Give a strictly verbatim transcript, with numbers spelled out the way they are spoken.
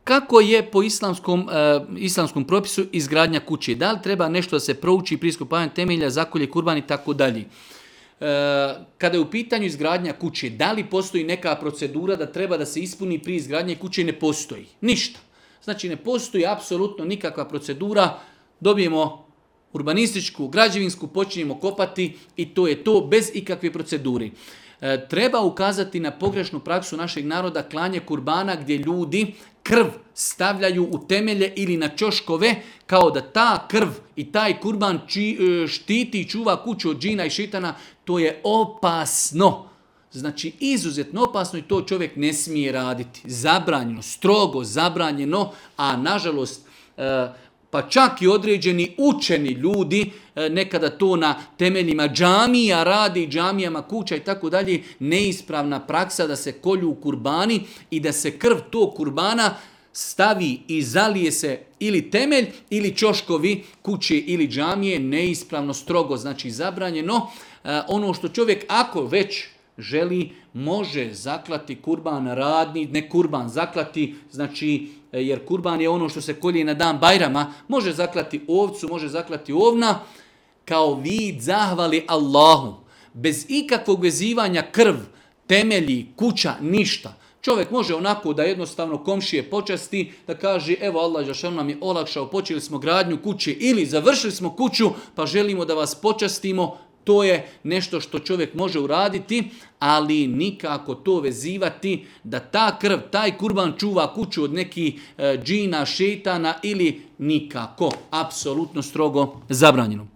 Kako je po islamskom, uh, islamskom propisu izgradnja kuće? Da li treba nešto da se prouči pri iskopavanju temelja, zakolje, kurban i tako dalje? Kada je u pitanju izgradnja kuće, da li postoji neka procedura da treba da se ispuni pri izgradnji kuće? Ne postoji. Ništa. Znači ne postoji apsolutno nikakva procedura, dobijemo urbanističku, građevinsku, počinjemo kopati i to je to bez ikakve procedure. E, treba ukazati na pogrešnu praksu našeg naroda klanje kurbana gdje ljudi krv stavljaju u temelje ili na ćoškove kao da ta krv i taj kurban či, štiti i čuva kuću od džina i šitana. To je opasno. Znači izuzetno opasno i to čovjek ne smije raditi. Zabranjeno, strogo zabranjeno, a nažalost e, pa čak i određeni učeni ljudi nekada to na temeljima džamija radi, džamijama kuća i tako dalje, neispravna praksa da se kolju kurbani i da se krv tog kurbana stavi i zalije se ili temelj ili ćoškovi kuće ili džamije, neispravno, strogo, znači zabranjeno. Ono što čovjek ako već želi, može zaklati kurban radni, ne kurban zaklati, znači jer kurban je ono što se kolje na dan Bajrama, može zaklati ovcu, može zaklati ovna, kao vid zahvali Allahu. Bez ikakvog vezivanja krv, temelji, kuća, ništa. Čovjek može onako da jednostavno komšije počasti, da kaže evo Allah dželešanu nam je olakšao, počeli smo gradnju kuće ili završili smo kuću pa želimo da vas počastimo. To je nešto što čovjek može uraditi, ali nikako to vezivati da ta krv, taj kurban čuva kuću od nekih e, džina, šetana ili nikako. Apsolutno strogo zabranjeno.